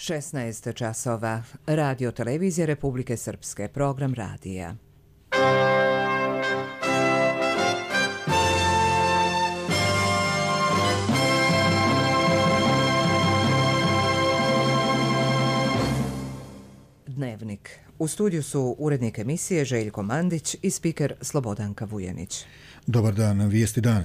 16 časova. Radio televizija Republike Srpske. Program radija. Dnevnik. U studiju su urednik emisije Željko Mandić i spiker Slobodanka Vujanić. Dobar dan, vijesti dan.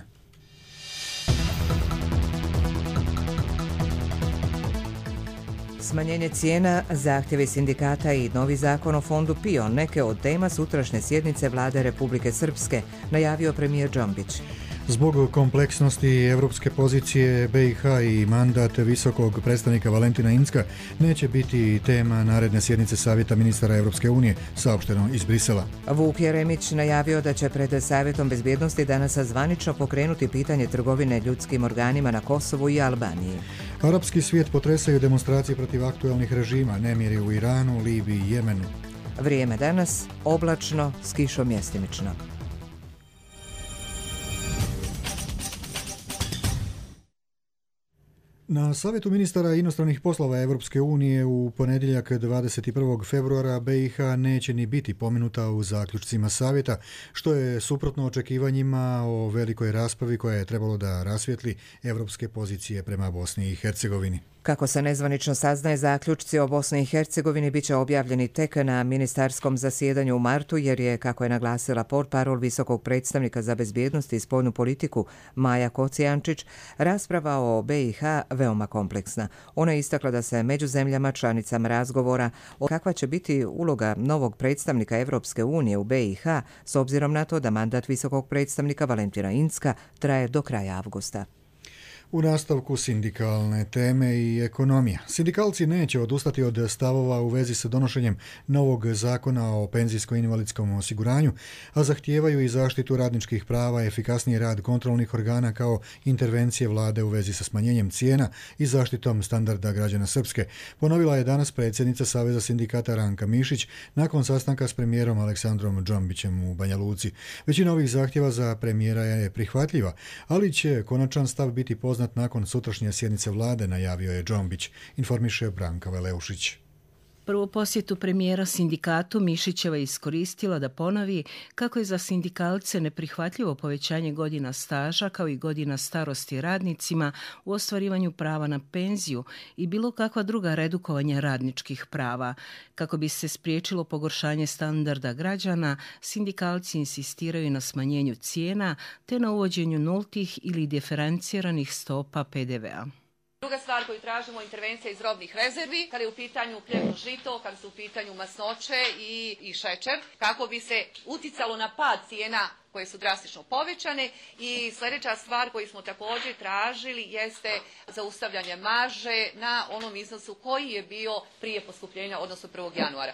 Smanjenje cijena, zahtjevi sindikata i novi zakon o fondu PIO neke od tema sutrašnje sjednice Vlade Republike Srpske, najavio premijer Džombić. Zbog kompleksnosti evropske pozicije BiH i mandat visokog predstavnika Valentina Incka neće biti tema naredne sjednice Savjeta ministara Evropske unije, saopšteno iz Brisela. Vuk Jeremić najavio da će pred Savjetom bezbjednosti danas zvanično pokrenuti pitanje trgovine ljudskim organima na Kosovu i Albaniji. Arapski svijet potresaju demonstracije protiv aktuelnih režima, nemiri u Iranu, Libiji i Jemenu. Vrijeme danas oblačno s kišom mjestimično. Na Savjetu ministara inostranih poslova Evropske unije u ponedjeljak 21. februara BiH neće ni biti pomenuta u zaključcima Savjeta, što je suprotno očekivanjima o velikoj raspravi koja je trebalo da rasvijetli evropske pozicije prema Bosni i Hercegovini. Kako se nezvanično saznaje, zaključci o Bosni i Hercegovini bit će objavljeni tek na ministarskom zasjedanju u martu, jer je, kako je naglasila portparol visokog predstavnika za bezbjednost i spoljnu politiku Maja Kocijančić, rasprava o BiH veoma kompleksna. Ona je istakla da se među zemljama članicama razgovora o kakva će biti uloga novog predstavnika Evropske unije u BiH s obzirom na to da mandat visokog predstavnika Valentina Incka traje do kraja avgusta. U nastavku sindikalne teme i ekonomija. Sindikalci neće odustati od stavova u vezi sa donošenjem novog zakona o penzijsko-invalidskom osiguranju, a zahtijevaju i zaštitu radničkih prava, efikasniji rad kontrolnih organa kao intervencije vlade u vezi sa smanjenjem cijena i zaštitom standarda građana Srpske. Ponovila je danas predsjednica Saveza sindikata Ranka Mišić nakon sastanka s premijerom Aleksandrom Džombićem u Banja Luci. Većina ovih zahtjeva za premijera je prihvatljiva, ali će konačan stav biti poznat nakon sutrašnje sjednice vlade, najavio je Džombić, informiše Branka Veleušić. Prvu posjetu premijera sindikatu Mišićeva iskoristila da ponovi kako je za sindikalce neprihvatljivo povećanje godina staža kao i godina starosti radnicima u ostvarivanju prava na penziju i bilo kakva druga redukovanja radničkih prava. Kako bi se spriječilo pogoršanje standarda građana, sindikalci insistiraju na smanjenju cijena te na uvođenju nultih ili diferenciranih stopa PDV-a. Druga stvar koju tražimo je intervencija iz robnih rezervi, kada je u pitanju pljevno žito, kada su u pitanju masnoće i šećer, kako bi se uticalo na pad cijena koje su drastično povećane. I sljedeća stvar koju smo također tražili jeste zaustavljanje marže na onom iznosu koji je bio prije poskupljenja, odnosno 1. januara.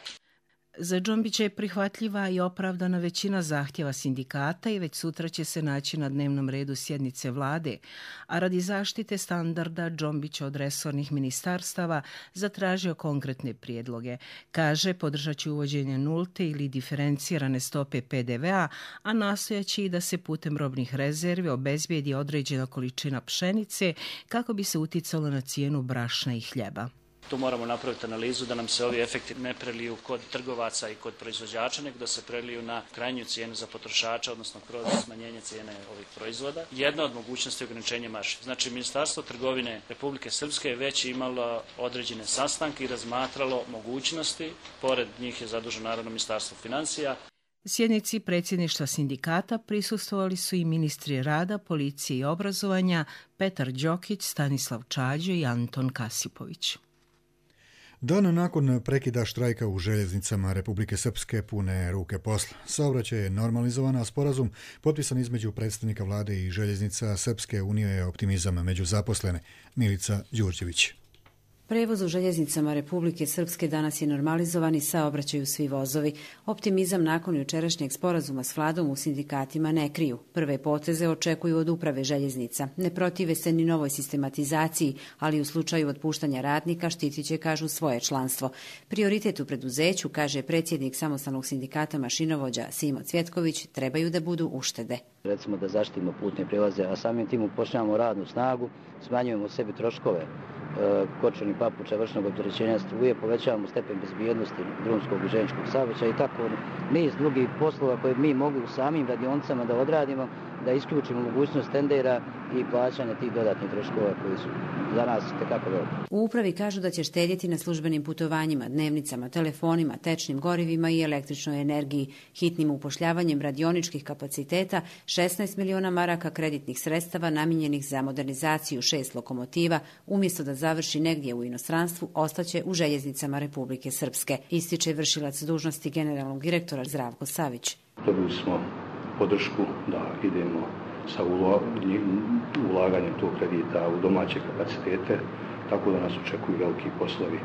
Za Džombića je prihvatljiva i opravdana većina zahtjeva sindikata i već sutra će se naći na dnevnom redu sjednice vlade, a radi zaštite standarda Džombić od resornih ministarstava zatražio konkretne prijedloge. Kaže, podržat će uvođenje nulte ili diferencirane stope PDV-a, a nastojaće i da se putem robnih rezervi obezbijedi određena količina pšenice kako bi se uticalo na cijenu brašna i hljeba. Tu moramo napraviti analizu da nam se ovi efekti ne preliju kod trgovaca i kod proizvođača, nego da se preliju na krajnju cijenu za potrošača, odnosno kroz smanjenje cijene ovih proizvoda. Jedna od mogućnosti je ograničenje marži. Znači, Ministarstvo trgovine Republike Srpske je već imalo određene sastanke i razmatralo mogućnosti. Pored njih je zaduženo naravno Ministarstvo financija. Sjednici predsjedništva sindikata prisustvovali su i ministri rada, policije i obrazovanja Petar Đokić, Stanislav Čađo i Anton Kasipović. Dan nakon prekida štrajka u željeznicama Republike Srpske pune ruke posla. Saobraćaj je normalizovan, a sporazum potpisan između predstavnika vlade i željeznica Srpske unije je optimizam među zaposlene. Milica Đurđević. Prevoz u željeznicama Republike Srpske danas je normalizovan i saobraćaju svi vozovi. Optimizam nakon jučerašnjeg sporazuma s vladom u sindikatima ne kriju. Prve poteze očekuju od uprave željeznica. Ne protive se ni novoj sistematizaciji, ali u slučaju otpuštanja radnika štitit će, kažu, svoje članstvo. Prioritet u preduzeću, kaže predsjednik samostalnog sindikata mašinovođa Simo Cvjetković, trebaju da budu uštede. Recimo da zaštitimo putne prijelaze, a samim tim upošljavamo radnu snagu, smanjujemo sebi troškove kočenih papuča, vršnog opterećenja struje, povećavamo stepen bezbjednosti drumskog i željezničkog saobraćaja i tako niz drugih poslova koje mi mogli u samim radionicama da odradimo, da isključimo mogućnost tendera i plaćanja tih dodatnih troškova koji su za nas tekako veliki. U upravi kažu da će štedjeti na službenim putovanjima, dnevnicama, telefonima, tečnim gorivima i električnoj energiji, hitnim upošljavanjem radioničkih kapaciteta, 16 miliona maraka kreditnih sredstava namijenjenih za modernizaciju 6 lokomotiva, umjesto da završi negdje u inostranstvu, ostaće u željeznicama Republike Srpske, ističe vršilac dužnosti generalnog direktora Zdravko Savić. Dobili smo podršku da idemo sa ulaganjem tog kredita u domaće kapacitete, tako da nas očekuju veliki poslovi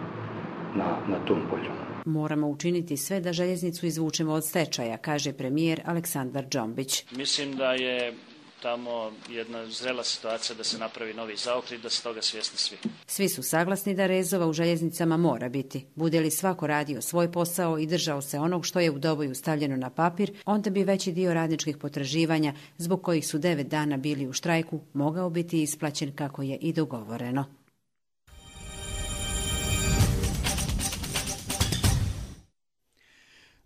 na tom polju. Moramo učiniti sve da željeznicu izvučemo od stečaja, kaže premijer Aleksandar Džombić. Mislim da je tamo jedna zrela situacija da se napravi novi zaokret, da se toga svjesni svi. Svi su saglasni da rezova u željeznicama mora biti. Bude li svako radio svoj posao i držao se onog što je u Doboju stavljeno na papir, onda bi veći dio radničkih potraživanja, zbog kojih su 9 dana bili u štrajku, mogao biti isplaćen kako je i dogovoreno.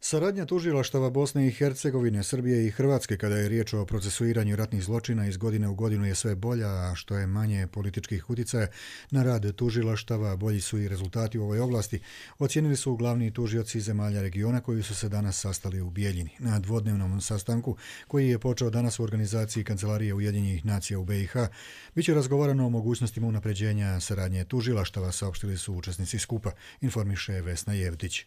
Saradnja tužilaštava Bosne i Hercegovine, Srbije i Hrvatske kada je riječ o procesuiranju ratnih zločina iz godine u godinu je sve bolja, a što je manje političkih utjecaja na rad tužilaštava, bolji su i rezultati u ovoj oblasti, ocijenili su glavni tužioci zemalja regiona koji su se danas sastali u Bijeljini. Na dvodnevnom sastanku, koji je počeo danas u organizaciji Kancelarije Ujedinjenih nacija u BiH, biće razgovarano o mogućnostima unapređenja saradnje tužilaštava, saopštili su učesnici skupa, informiše Vesna Jevtić.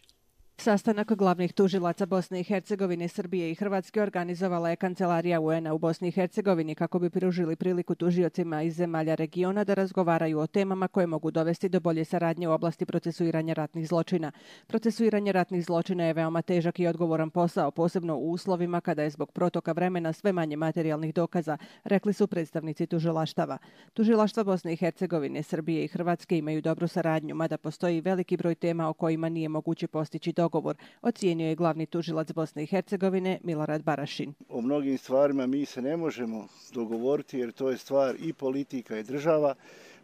Sastanak glavnih tužilaca Bosne i Hercegovine, Srbije i Hrvatske organizovala je Kancelarija UN-a u Bosni i Hercegovini kako bi pružili priliku tužiocima iz zemalja regiona da razgovaraju o temama koje mogu dovesti do bolje saradnje u oblasti procesuiranja ratnih zločina. Procesuiranje ratnih zločina je veoma težak i odgovoran posao, posebno u uslovima kada je zbog protoka vremena sve manje materijalnih dokaza, rekli su predstavnici tužilaštava. Tužilaštva Bosne i Hercegovine, Srbije i Hrvatske imaju dobru saradnju, mada postoji veliki broj tema o kojima nije moguće postići dogovor, ocijenio je glavni tužilac Bosne i Hercegovine Milorad Barašin. O mnogim stvarima mi se ne možemo dogovoriti jer to je stvar i politika i država,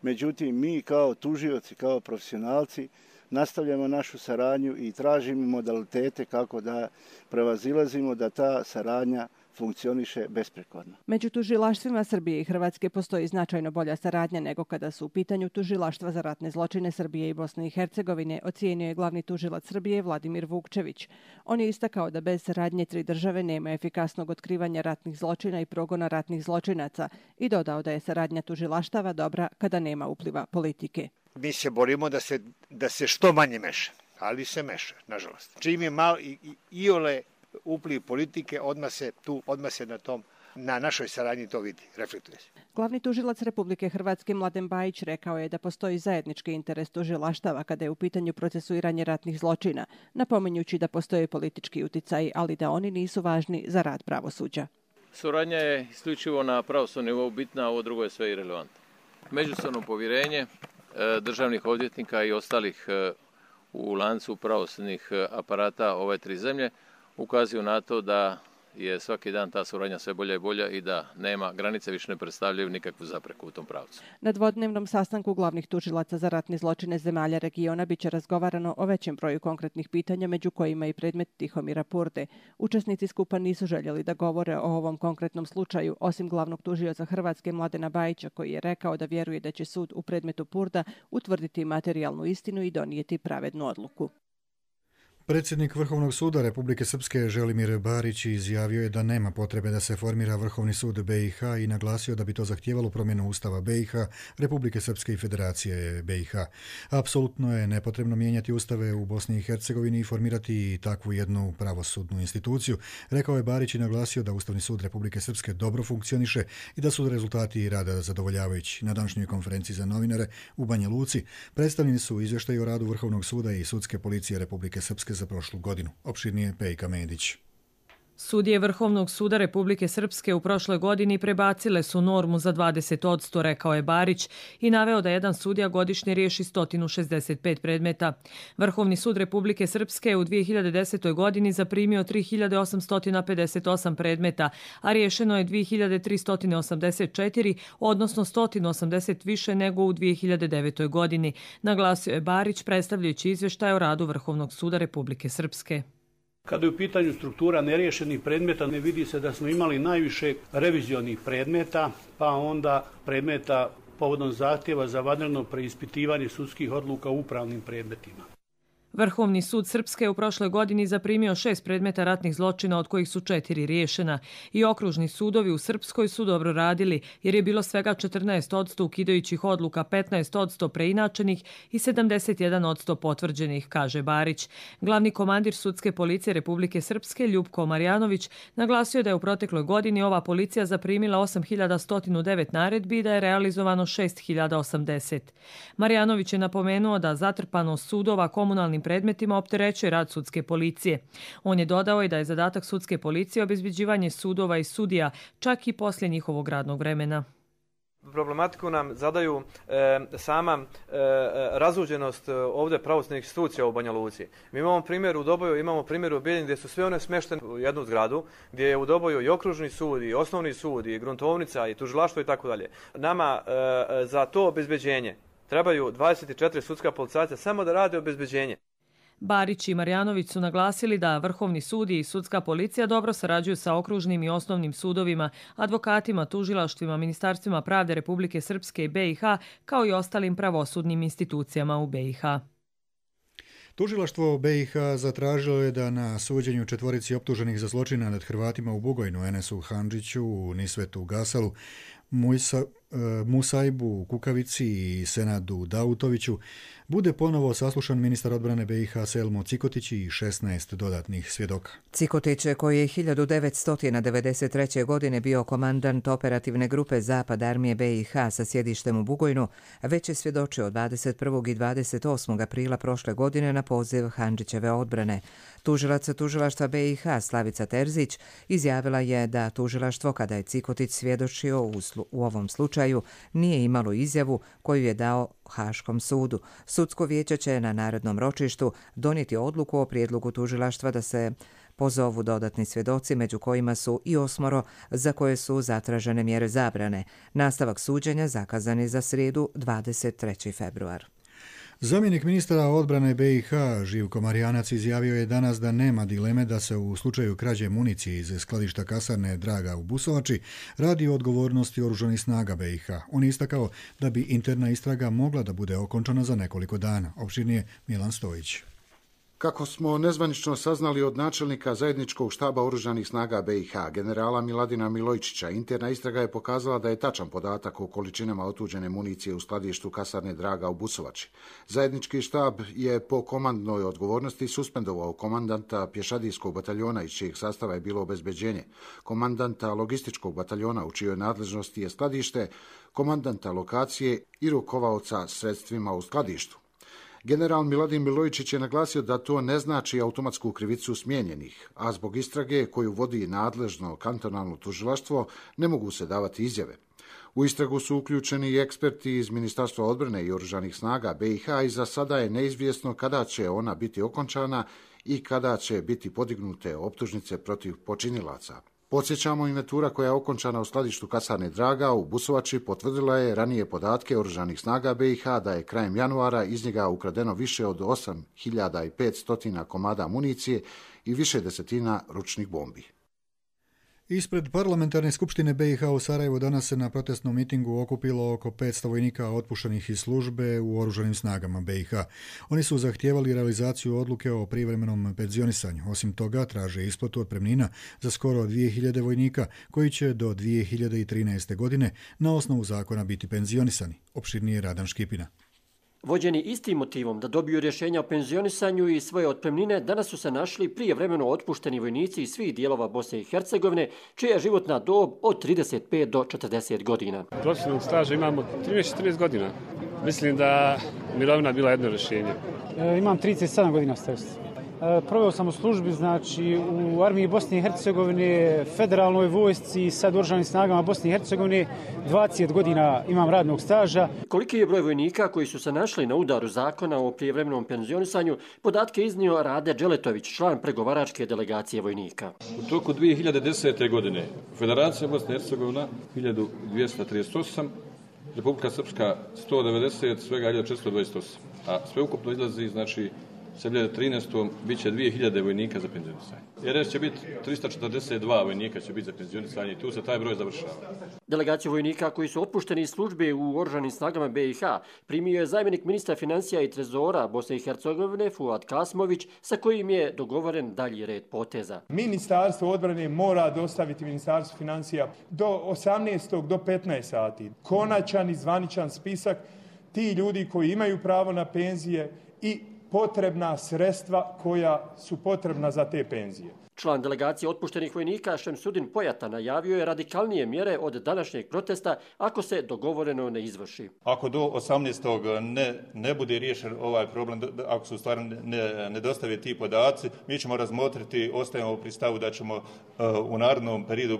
međutim mi kao tužioci, kao profesionalci nastavljamo našu saradnju i tražimo modalitete kako da prevazilazimo da ta saradnja funkcioniše besprekorno. Među tužilaštvima Srbije i Hrvatske postoji značajno bolja saradnja nego kada su u pitanju tužilaštva za ratne zločine Srbije i Bosne i Hercegovine, ocijenio je glavni tužilac Srbije Vladimir Vukčević. On je istakao da bez saradnje tri države nema efikasnog otkrivanja ratnih zločina i progona ratnih zločinaca i dodao da je saradnja tužilaštava dobra kada nema upliva politike. Mi se borimo da se što manje meša, ali se meša, nažalost. Čim je malo iole upliv politike, odmah se na našoj saradnji to vidi, reflektuje se. Glavni tužilac Republike Hrvatske Mladen Bajić rekao je da postoji zajednički interes tužilaštava kada je u pitanju procesuiranje ratnih zločina, napominjući da postoje politički uticaj, ali da oni nisu važni za rad pravosuđa. Suradnja je isključivo na pravosudnom nivou bitna, a ovo drugo je sve irelevantno. Međusobno povjerenje državnih odvjetnika i ostalih u lancu pravosudnih aparata ove tri zemlje ukazuju na to da je svaki dan ta suradnja sve bolja i bolja i da nema granice, više ne predstavljaju nikakvu zapreku u tom pravcu. Na dvodnevnom sastanku glavnih tužilaca za ratne zločine zemalja regiona biće razgovarano o većem broju konkretnih pitanja, među kojima i predmet Tihomira Purde. Učesnici skupa nisu željeli da govore o ovom konkretnom slučaju, osim glavnog tužioca Hrvatske Mladena Bajića, koji je rekao da vjeruje da će sud u predmetu Purda utvrditi materijalnu istinu i donijeti pravednu odluku. Predsjednik Vrhovnog suda Republike Srpske Želimir Barić izjavio je da nema potrebe da se formira Vrhovni sud BiH i naglasio da bi to zahtijevalo promjenu Ustava BiH, Republike Srpske i Federacije BiH. Apsolutno je nepotrebno mijenjati ustave u Bosni i Hercegovini i formirati takvu jednu pravosudnu instituciju, rekao je Barić i naglasio da Ustavni sud Republike Srpske dobro funkcioniše i da su rezultati rada zadovoljavajući. Na današnjoj konferenciji za novinare u Banja Luci predstavljeni su izvještaji o radu Vrhovnog suda i Sudske policije Republike Srpske za prošlu godinu. Opširnije Pejka Medić. Sudije Vrhovnog suda Republike Srpske u prošloj godini prebacile su normu za 20%, rekao je Barić i naveo da jedan sudija godišnje riješi 165 predmeta. Vrhovni sud Republike Srpske je u 2010. godini zaprimio 3858 predmeta, a riješeno je 2384, odnosno 180 više nego u 2009. godini, naglasio je Barić predstavljajući izvještaj o radu Vrhovnog suda Republike Srpske. Kada je u pitanju struktura neriješenih predmeta, ne vidi se da smo imali najviše revizionih predmeta, pa onda predmeta povodom zahtjeva za vanredno preispitivanje sudskih odluka u upravnim predmetima. Vrhovni sud Srpske je u prošloj godini zaprimio 6 predmeta ratnih zločina, od kojih su 4 riješena. I okružni sudovi u Srpskoj su dobro radili, jer je bilo svega 14% ukidajućih odluka, 15% preinačenih i 71% potvrđenih, kaže Barić. Glavni komandir sudske policije Republike Srpske, Ljupko Marjanović, naglasio da je u protekloj godini ova policija zaprimila 8109 naredbi i da je realizovano 6080. Marjanović je napomenuo da zatrpanost sudova komunalnim predmetima opterećuje rad sudske policije. On je dodao i da je zadatak sudske policije obezbeđivanje sudova i sudija, čak i poslije njihovog radnog vremena. Problematiku nam zadaju sama razuđenost ovdje pravosudnih institucija u Banja Luci. Mi imamo primjer u Doboju, imamo primjer u Bijeljini gdje su sve one smeštene u jednu zgradu, gdje je u Doboju i okružni sud, i osnovni sud, i gruntovnica, i tužilaštvo i tako dalje. Nama za to obezbeđenje trebaju 24 sudska policajca samo da rade obezbeđenje. Barić i Marjanović su naglasili da Vrhovni sud i sudska policija dobro sarađuju sa okružnim i osnovnim sudovima, advokatima, tužilaštvima, ministarstvima pravde Republike Srpske i BiH, kao i ostalim pravosudnim institucijama u BiH. Tužilaštvo BiH zatražilo je da na suđenju 4 optuženih za zločina nad Hrvatima u Bugojnu, Enesu Handžiću, Nisvetu Gasalu, Musajbu Kukavici i Senadu Dautoviću bude ponovo saslušan ministar odbrane BiH Selmo Cikotić i 16 dodatnih svjedoka. Cikotić, koji je 1993. godine bio komandant operativne grupe Zapad armije BiH sa sjedištem u Bugojnu, već je svjedočio 21. i 28. aprila prošle godine na poziv Handžićeve odbrane. Tužilac tužilaštva BiH Slavica Terzić izjavila je da tužilaštvo, kada je Cikotić svjedočio u ovom slučaju, nije imalo izjavu koju je dao Haškom sudu. Sudsko vijeće će na narednom ročištu donijeti odluku o prijedlogu tužilaštva da se pozovu dodatni svjedoci, među kojima su i 8 za koje su zatražene mjere zabrane. Nastavak suđenja zakazan je za srijedu 23. februar. Zamjenik ministra odbrane BiH Živko Marijanac izjavio je danas da nema dileme da se u slučaju krađe municije iz skladišta kasarne Draga u Busovači radi o odgovornosti oružanih snaga BiH. On je istakao da bi interna istraga mogla da bude okončana za nekoliko dana. Opširnije Milan Stojić. Kako smo nezvanično saznali od načelnika zajedničkog štaba oružanih snaga BiH, generala Miladina Milojčića, interna istraga je pokazala da je tačan podatak o količinama otuđene municije u skladištu kasarne Draga u Busovači. Zajednički štab je po komandnoj odgovornosti suspendovao komandanta pješadijskog bataljona iz čijeg sastava je bilo obezbeđenje, komandanta logističkog bataljona u čijoj nadležnosti je skladište, komandanta lokacije i rukovaoca sredstvima u skladištu. General Miladin Milojčić je naglasio da to ne znači automatsku krivicu smijenjenih, a zbog istrage koju vodi nadležno kantonalno tužilaštvo ne mogu se davati izjave. U istragu su uključeni i eksperti iz Ministarstva odbrane i oružanih snaga BiH i za sada je neizvjesno kada će ona biti okončana i kada će biti podignute optužnice protiv počinilaca. Podsjećamo, inventura koja je okončana u skladištu kasarne Draga u Busovači potvrdila je ranije podatke oružanih snaga BiH da je krajem januara iz njega ukradeno više od 8500 komada municije i više desetina ručnih bombi. Ispred parlamentarne skupštine BiH u Sarajevu danas se na protestnom mitingu okupilo oko 500 vojnika otpuštenih iz službe u oružanim snagama BiH. Oni su zahtijevali realizaciju odluke o privremenom penzionisanju. Osim toga, traže isplatu otpremnina za skoro 2000 vojnika koji će do 2013. godine na osnovu zakona biti penzionisani. Opširnije Radan Škipina. Vođeni istim motivom da dobiju rješenja o penzionisanju i svoje otpremnine, danas su se našli prijevremeno otpušteni vojnici iz svih dijelova Bosne i Hercegovine, čija je životna dob od 35 do 40 godina. Profesionalnog staža imamo 13-14 godina. Mislim da mirovina bila jedno rješenje. Imam 37 godina starosti. Proveo sam u službi, znači u armiji Bosne i Hercegovine, federalnoj vojsci i sad u oružanim snagama Bosne i Hercegovine. 20 godina imam radnog staža. Koliki je broj vojnika koji su se našli na udaru zakona o prijevremenom penzionisanju, podatke iznio Rade Dželetović, član pregovaračke delegacije vojnika. U toku 2010. godine Federacija Bosne i Hercegovina 1238, Republika Srpska 190, svega 1428, a sveukupno izlazi, znači, 2013. bit će 2000 vojnika za penzionisanje. RS će biti 342 vojnika će biti za penzionisanje i tu se taj broj završava. Delegaciju vojnika koji su otpušteni iz službe u oružanim snagama BiH primio je zamjenik ministra financija i trezora Bosne i Hercegovine Fuad Kasmović, sa kojim je dogovoren dalji red poteza. Ministarstvo odbrane mora dostaviti Ministarstvu financija do 18. do 15 sati konačan i zvaničan spisak ti ljudi koji imaju pravo na penzije i potrebna sredstva koja su potrebna za te penzije. Član delegacije otpuštenih vojnika Šemsudin Pojata najavio je radikalnije mjere od današnjeg protesta ako se dogovoreno ne izvrši. Ako do 18. ne bude riješen ovaj problem, ako se u stvari ne dostave ti podaci, mi ćemo razmotriti, ostajemo pri stavu da ćemo u narednom periodu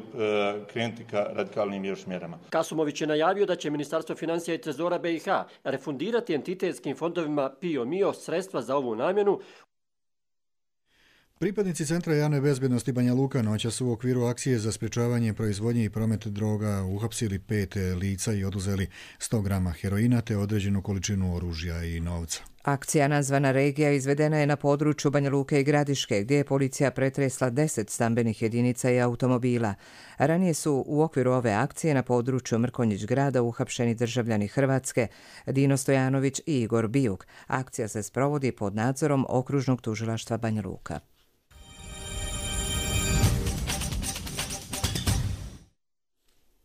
krenuti ka radikalnim još mjerama. Kasumović je najavio da će Ministarstvo financija i trezora BiH refundirati entitetskim fondovima PIO MIO sredstva za ovu namjenu. Pripadnici Centra javne bezbednosti Banja Luka noćas su u okviru akcije za sprečavanje proizvodnje i promet droga uhapsili 5 lica i oduzeli 100 grama heroina te određenu količinu oružja i novca. Akcija nazvana Regija izvedena je na području Banja Luke i Gradiške, gdje je policija pretresla 10 stambenih jedinica i automobila. Ranije su u okviru ove akcije na području Mrkonjić grada uhapšeni državljani Hrvatske Dino Stojanović i Igor Bijuk. Akcija se sprovodi pod nadzorom Okružnog tužilaštva Banja Luka.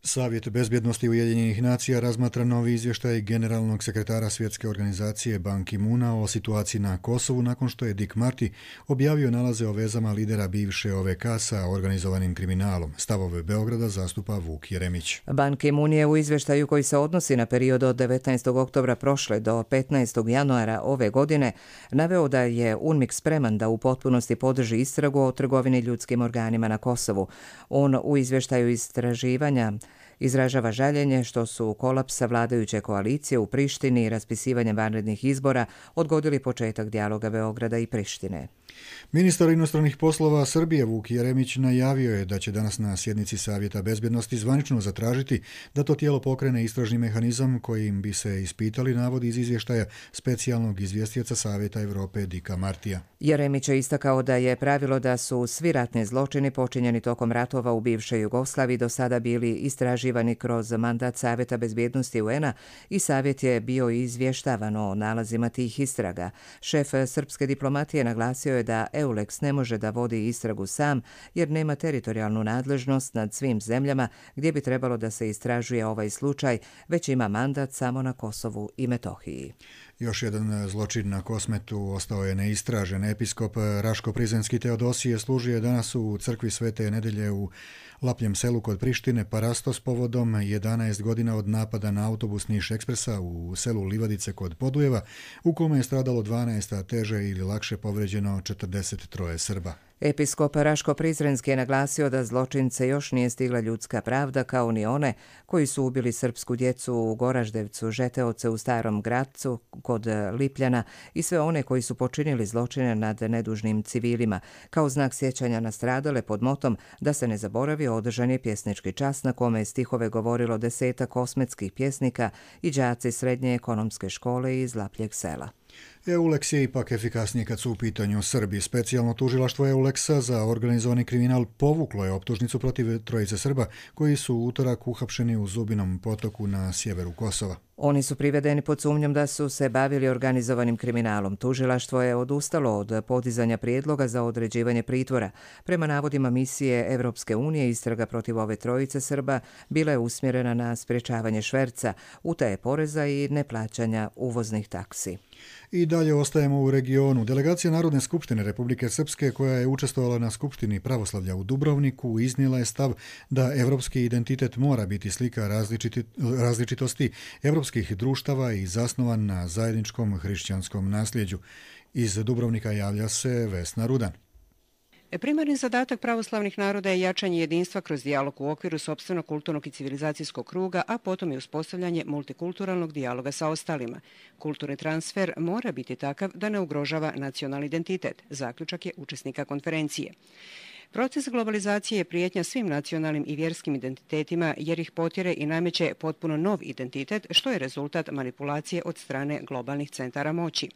Savjet bezbjednosti Ujedinjenih nacija razmatra novi izvještaj generalnog sekretara Svjetske organizacije Ban Ki-moona o situaciji na Kosovu nakon što je Dick Marty objavio nalaze o vezama lidera bivše OVK sa organizovanim kriminalom. Stavove Beograda zastupa Vuk Jeremić. Ban Ki-moon je u izvještaju koji se odnosi na period od 19. oktobra prošle do 15. januara ove godine naveo da je UNMIK spreman da u potpunosti podrži istragu o trgovini ljudskim organima na Kosovu. On u izvještaju istraživanja izražava žaljenje što su kolapsa vladajuće koalicije u Prištini i raspisivanjem vanrednih izbora odgodili početak dijaloga Beograda i Prištine. Ministar inostranih poslova Srbije Vuk Jeremić najavio je da će danas na sjednici Savjeta bezbjednosti zvanično zatražiti da to tijelo pokrene istražni mehanizam kojim bi se ispitali navodi iz izvještaja specijalnog izvjestioca Savjeta Evrope Dicka Martija. Jeremić je istakao da je pravilo da su svi ratni zločini počinjeni tokom ratova u bivšoj Jugoslaviji do sada bili istraživani kroz mandat Savjeta bezbjednosti UN-a i Savjet je bio izvještavan o nalazima tih istraga. Šef srpske diplomatije naglasio je da EULEX ne može da vodi istragu sam jer nema teritorijalnu nadležnost nad svim zemljama gdje bi trebalo da se istražuje ovaj slučaj, već ima mandat samo na Kosovu i Metohiji. Još jedan zločin na Kosmetu ostao je neistražen. Episkop Raško-Prizrenski Teodosije služio je danas u crkvi Svete Nedelje u Lapljem selu kod Prištine Parastos povodom 11 godina od napada na autobus Niš Ekspresa u selu Livadice kod Podujeva, u kome je stradalo 12, a teže ili lakše povređeno 43 Srba. Episkop Raško-Prizrenski je naglasio da zločince još nije stigla ljudska pravda, kao ni one koji su ubili srpsku djecu u Goraždevcu, Žeteoce u Starom Gradcu kod Lipljana i sve one koji su počinili zločine nad nedužnim civilima. Kao znak sjećanja na stradale pod motom da se ne zaboravi, održan je pjesnički čas na kome je stihove govorilo 10 kosmetskih pjesnika i đaci srednje ekonomske škole iz Lapljeg sela. EULEX je ipak efikasniji kad su u pitanju Srbi. Specijalno tužilaštvo EULEX-a za organizovani kriminal povuklo je optužnicu protiv trojice Srba koji su u utorak uhapšeni u Zubinom potoku na sjeveru Kosova. Oni su privedeni pod sumnjom da su se bavili organizovanim kriminalom. Tužilaštvo je odustalo od podizanja prijedloga za određivanje pritvora. Prema navodima misije Evropske unije, istraga protiv ove trojice Srba bila je usmjerena na sprječavanje šverca, utaje poreza i neplaćanja uvoznih taksi. I dalje ostajemo u regionu. Delegacija Narodne skupštine Republike Srpske, koja je učestvovala na Skupštini pravoslavlja u Dubrovniku, iznijela je stav da evropski identitet mora biti slika različitosti evropskih društava i zasnovan na zajedničkom hrišćanskom nasljeđu. Iz Dubrovnika javlja se Vesna Rudan. Primarni zadatak pravoslavnih naroda je jačanje jedinstva kroz dijalog u okviru sopstvenog kulturnog i civilizacijskog kruga, a potom i uspostavljanje multikulturalnog dijaloga sa ostalima. Kulturni transfer mora biti takav da ne ugrožava nacionalni identitet, zaključak je učesnika konferencije. Proces globalizacije je prijetnja svim nacionalnim i vjerskim identitetima jer ih potjere i nameće potpuno nov identitet, što je rezultat manipulacije od strane globalnih centara moći.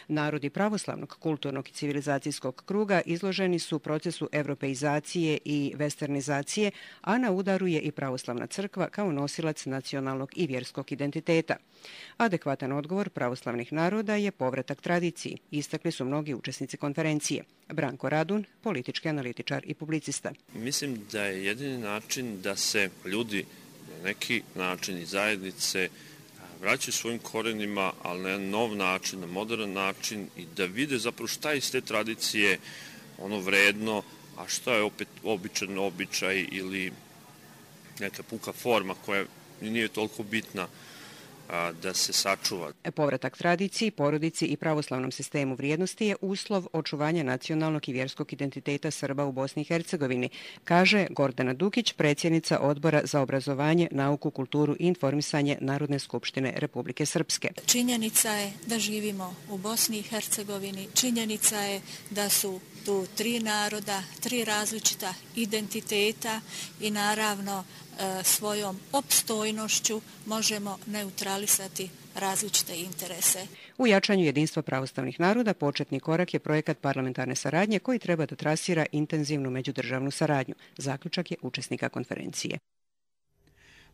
Narodi pravoslavnog, kulturnog i civilizacijskog kruga izloženi su procesu europeizacije i westernizacije, a na udaru je i pravoslavna crkva kao nosilac nacionalnog i vjerskog identiteta. Adekvatan odgovor pravoslavnih naroda je povratak tradiciji, istakli su mnogi učesnici konferencije. Branko Radun, politički analitičar i publicista. Mislim da je jedini način da se ljudi na neki način i zajednice vraćaju svojim korenima, ali na nov način, na modern način i da vide zapravo šta je iz te tradicije ono vredno, a šta je opet običan običaj ili neka puka forma koja nije toliko bitna da se sačuva. Povratak tradiciji, porodici i pravoslavnom sistemu vrijednosti je uslov očuvanja nacionalnog i vjerskog identiteta Srba u Bosni i Hercegovini, kaže Gordana Dukić, predsjednica Odbora za obrazovanje, nauku, kulturu i informisanje Narodne skupštine Republike Srpske. Činjenica je da živimo u Bosni i Hercegovini, činjenica je da su tu tri naroda, tri različita identiteta i naravno svojom opstojnošću možemo neutralisati različite interese. U jačanju jedinstva pravoslavnih naroda početni korak je projekat parlamentarne saradnje koji treba da trasira intenzivnu međudržavnu saradnju. Zaključak je učesnika konferencije.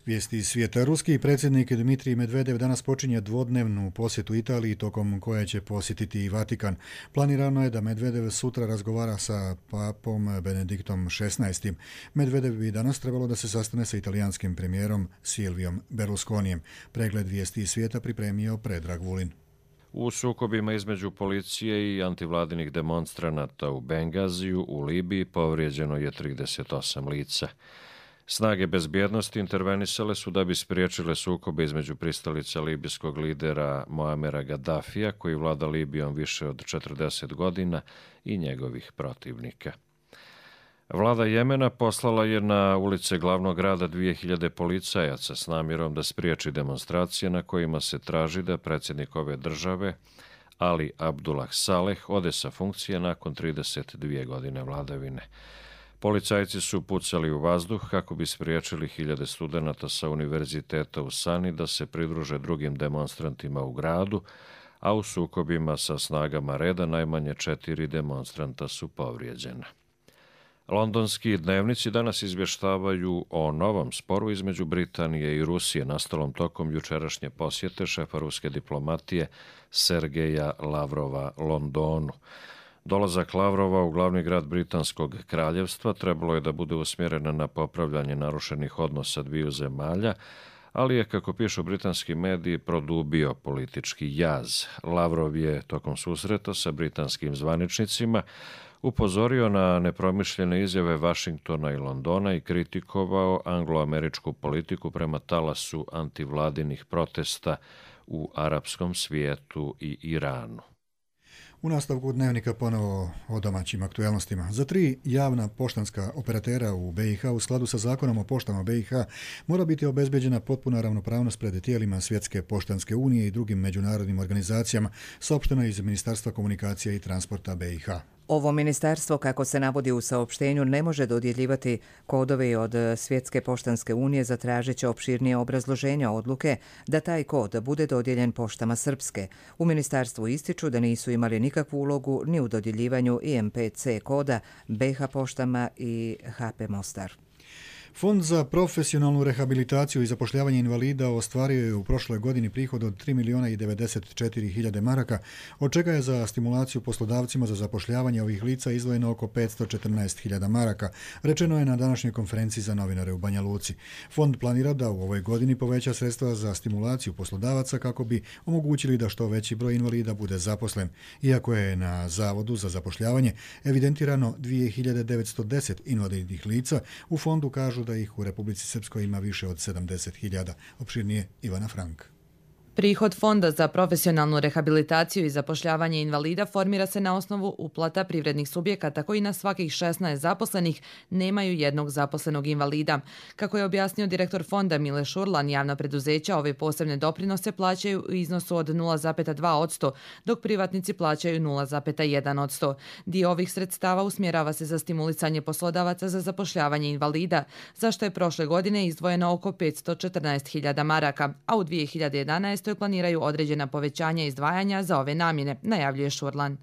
Vijesti iz svijeta. Ruski predsjednik Dmitrij Medvedev danas počinje dvodnevnu posjetu Italiji tokom koje će posjetiti i Vatikan. Planirano je da Medvedev sutra razgovara sa papom Benediktom XVI. Medvedev bi danas trebalo da se sastane sa italijanskim premijerom Silvijom Berlusconijem. Pregled vijesti iz svijeta pripremio Predrag Vulin. U sukobima između policije i antivladinih demonstranata u Bengaziju u Libiji povrijeđeno je 38 lica. Snage bezbjednosti intervenisale su da bi spriječile sukobe između pristalica libijskog lidera Moamera Gaddafija, koji vlada Libijom više od 40 godina, i njegovih protivnika. Vlada Jemena poslala je na ulice glavnog grada 2000 policajaca s namjerom da spriječi demonstracije na kojima se traži da predsjednik ove države, Ali Abdullah Saleh, ode sa funkcije nakon 32 godine vladavine. Policajci su pucali u vazduh kako bi spriječili hiljade studenata sa univerziteta u Sani da se pridruže drugim demonstrantima u gradu, a u sukobima sa snagama reda najmanje 4 demonstranta su povrijeđena. Londonski dnevnici danas izvještavaju o novom sporu između Britanije i Rusije nastalom tokom jučerašnje posjete šefa ruske diplomatije Sergeja Lavrova Londonu. Dolazak Lavrova u glavni grad Britanskog kraljevstva trebalo je da bude usmjerena na popravljanje narušenih odnosa dviju zemalja, ali je, kako pišu britanski mediji, produbio politički jaz. Lavrov je tokom susreta sa britanskim zvaničnicima upozorio na nepromišljene izjave Vašingtona i Londona i kritikovao angloameričku politiku prema talasu antivladinih protesta u arapskom svijetu i Iranu. U nastavku dnevnika ponovo o domaćim aktualnostima. Za 3 javna poštanska operatera u BiH u skladu sa zakonom o poštama BiH mora biti obezbeđena potpuna ravnopravnost pred tijelima Svjetske poštanske unije i drugim međunarodnim organizacijama, saopšteno iz Ministarstva komunikacija i transporta BiH. Ovo ministarstvo, kako se navodi u saopštenju, ne može dodjeljivati kodove od Svjetske poštanske unije, zatražit će opširnije obrazloženja odluke da taj kod bude dodijeljen poštama Srpske. U ministarstvu ističu da nisu imali nikakvu ulogu ni u dodjeljivanju IMPC koda BiH poštama i HP Mostar. Fond za profesionalnu rehabilitaciju i zapošljavanje invalida ostvario je u prošloj godini prihod od 3.094.000 maraka, od čega je za stimulaciju poslodavcima za zapošljavanje ovih lica izdvojeno oko 514.000 maraka, rečeno je na današnjoj konferenciji za novinare u Banja Luci. Fond planira da u ovoj godini poveća sredstva za stimulaciju poslodavaca kako bi omogućili da što veći broj invalida bude zaposlen, iako je na Zavodu za zapošljavanje evidentirano 2.910 invalidnih lica, u fondu kažu da ih u Republici Srpskoj ima više od 70.000. Opširnije Ivana Frank. Prihod Fonda za profesionalnu rehabilitaciju i zapošljavanje invalida formira se na osnovu uplata privrednih subjekata koji na svakih 16 zaposlenih nemaju jednog zaposlenog invalida. Kako je objasnio direktor fonda Mile Šurlan, javna preduzeća ove posebne doprinose plaćaju u iznosu od 0,2%, dok privatnici plaćaju 0,1%. Dio ovih sredstava usmjerava se za stimulisanje poslodavaca za zapošljavanje invalida, za što je prošle godine izdvojeno oko 514.000 maraka, a u 2011. planiraju određena povećanja izdvajanja za ove namjene, najavljuje Šurlan.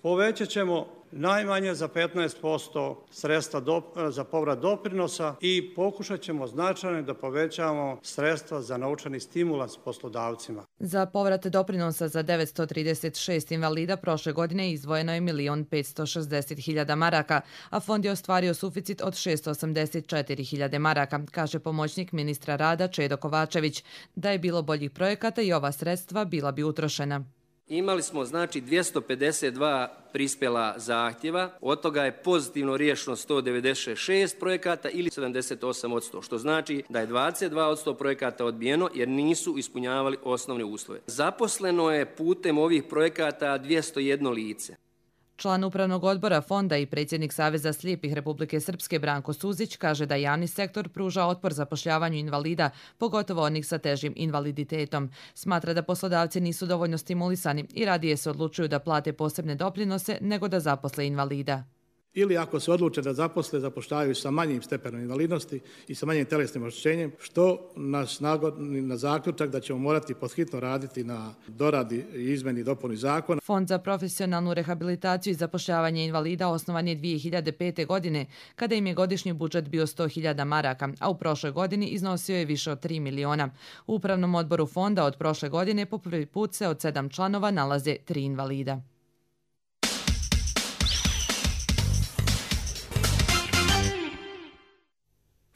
Povećat ćemo najmanje za 15% sredstva za povrat doprinosa i pokušat ćemo značajno da povećamo sredstva za novčani stimulans poslodavcima. Za povrat doprinosa za 936 invalida prošle godine izdvojeno je 1.560.000 maraka, a fond je ostvario suficit od 684.000 maraka, kaže pomoćnik ministra rada Čedo Kovačević. Da je bilo boljih projekata i ova sredstva bila bi utrošena. Imali smo znači 252 prispjela zahtjeva, od toga je pozitivno riješeno 196 projekata ili 78%, što znači da je 22% projekata odbijeno jer nisu ispunjavali osnovne uslove. Zaposleno je putem ovih projekata 201 lice. Član upravnog odbora fonda i predsjednik Saveza slijepih Republike Srpske Branko Suzić kaže da javni sektor pruža otpor zapošljavanju invalida, pogotovo onih sa težim invaliditetom. Smatra da poslodavci nisu dovoljno stimulisani i radije se odlučuju da plate posebne doprinose nego da zaposle invalida. Ili ako se odluče da zapošljavaju sa manjim stepenom invalidnosti i sa manjim telesnim oštećenjem, što nas nagodi na zaključak da ćemo morati podhitno raditi na doradi i izmeni i dopuni zakona. Fond za profesionalnu rehabilitaciju i zapošljavanje invalida osnovan je 2005. godine, kada im je godišnji budžet bio 100.000 maraka, a u prošloj godini iznosio je više od 3 miliona. U upravnom odboru fonda od prošle godine po prvi put se od 7 članova nalaze 3 invalida.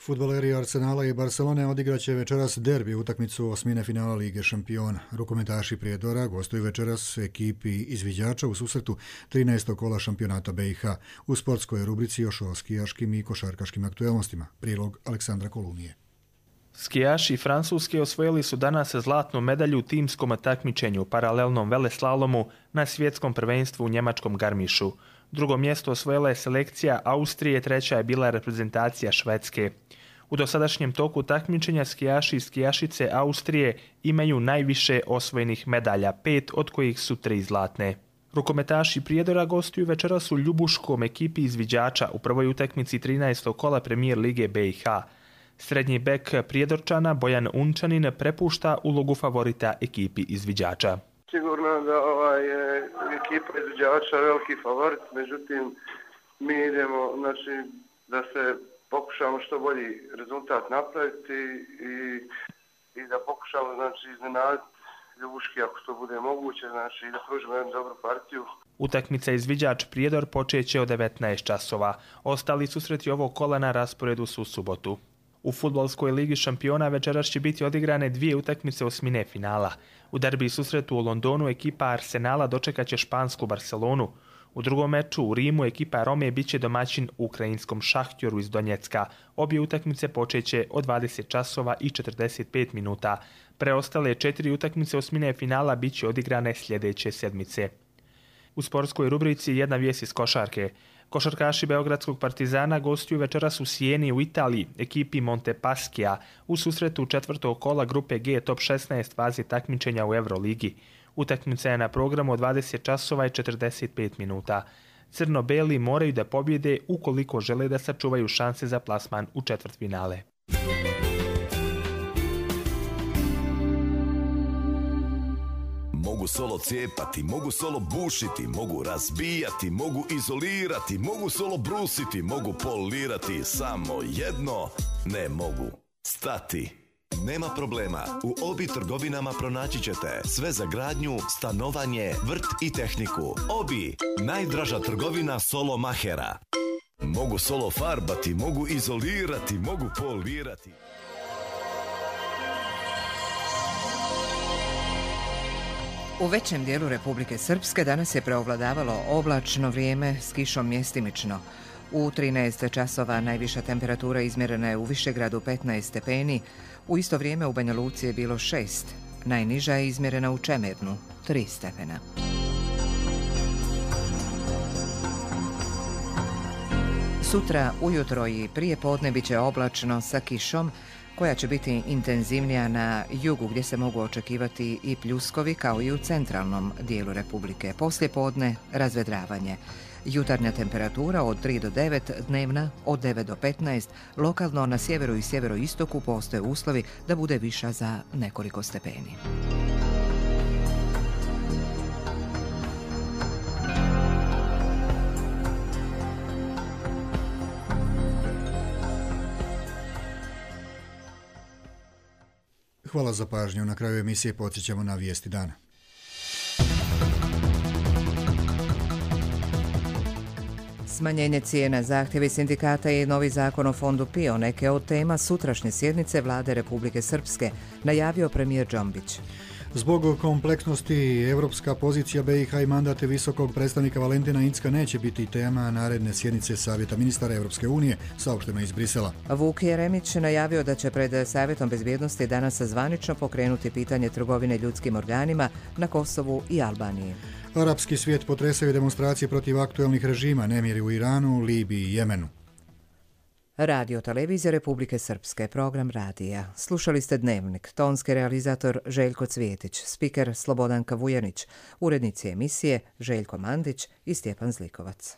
Fudbaleri Arsenala i Barcelone odigraće večeras derbi utakmicu osmine finala Lige šampiona. Rukometaši Prijedora gostuju večeras ekipi izviđača u susretu 13. kola šampionata BiH. U sportskoj rubrici još o skijaškim i košarkaškim aktuelnostima. Prilog Aleksandra Kolunije. Skijaši Francuske osvojili su danas zlatnu medalju u timskom takmičenju paralelnom veleslalomu na svjetskom prvenstvu u njemačkom Garmišu. Drugo mjesto osvojila je selekcija Austrije, treća je bila reprezentacija Švedske. U dosadašnjem toku takmičenja skijaši i skijašice Austrije imaju najviše osvojenih medalja, 5 od kojih su 3 zlatne. Rukometaši Prijedora gostuju večeras u Ljubuškom ekipi izviđača u prvoj utakmici 13. kola Premijer Lige BiH. Srednji bek Prijedorčana Bojan Unčanin prepušta ulogu favorita ekipi izviđača. Sigurno da je ekipa izviđača veliki favorit, međutim mi idemo da se pokušamo što bolji rezultat napraviti i da pokušamo iznenaditi Ljubuški ako to bude moguće, i da pružimo jednu dobru partiju. Utakmica izviđač Prijedor počeće od 19 časova. Ostali susreti ovog kola na rasporedu su u subotu. U fudbalskoj ligi šampiona večeras će biti odigrane 2 utakmice osmine finala. U derbi susretu u Londonu ekipa Arsenala dočekaće špansku Barcelonu. U drugom meču u Rimu ekipa Rome biće domaćin ukrajinskom Šahtjoru iz Donjecka. Obje utakmice počeće od 20 časova i 45 minuta. Preostale 4 utakmice osmine finala biće odigrane sljedeće sedmice. U sportskoj rubrici jedna vijest iz košarke. Košarkaši Beogradskog Partizana gostuju večeras u Sijeni u Italiji, ekipi Montepaschia, u susretu 4. kola grupe G top 16 faze takmičenja u Euroligi. Utakmica je na programu od 20 časova i 45 minuta. Crno-beli moraju da pobjede ukoliko žele da sačuvaju šanse za plasman u četvrtfinale. Mogu solo cijepati, mogu solo bušiti, mogu razbijati, mogu izolirati, mogu solo brusiti, mogu polirati, samo jedno Ne mogu stati. Nema problema, u Obi trgovinama pronaći ćete sve za gradnju, stanovanje, vrt i tehniku. Obi, najdraža trgovina solo mahera. Mogu solo farbati, mogu izolirati, mogu polirati. U većem dijelu Republike Srpske danas je preovladavalo oblačno vrijeme s kišom mjestimično. U 13 časova najviša temperatura izmjerena je u Višegradu 15 stepeni, u isto vrijeme u Banja Luci je bilo 6, najniža je izmjerena u Čemernu 3 stepena. Sutra ujutro i prije podne bit će oblačno sa kišom, koja će biti intenzivnija na jugu gdje se mogu očekivati i pljuskovi kao i u centralnom dijelu Republike. Poslije podne razvedravanje. Jutarnja temperatura od 3 do 9, dnevna od 9 do 15, lokalno na sjeveru i sjeveroistoku postoje uslovi da bude viša za nekoliko stepeni. Hvala za pažnju. Na kraju emisije podsjećamo na vijesti dana. Smanjenje cijena, zahtjevi sindikata i novi zakon o fondu PIO neke od tema sutrašnje sjednice Vlade Republike Srpske, najavio premijer Džombić. Zbog kompleksnosti evropska pozicija BiH i mandate visokog predstavnika Valentina Incka neće biti tema naredne sjednice Savjeta ministara Evropske unije, saopšteno iz Brisela. Vuk Jeremić najavio da će pred Savjetom bezbjednosti danas zvanično pokrenuti pitanje trgovine ljudskim organima na Kosovu i Albaniji. Arapski svijet potresaju demonstracije protiv aktuelnih režima, nemiri u Iranu, Libiji i Jemenu. Radio Televizija Republike Srpske, program radija. Slušali ste Dnevnik, tonski realizator Željko Cvijetić, spiker Slobodanka Vujanić, urednici emisije Željko Mandić i Stjepan Zlikovac.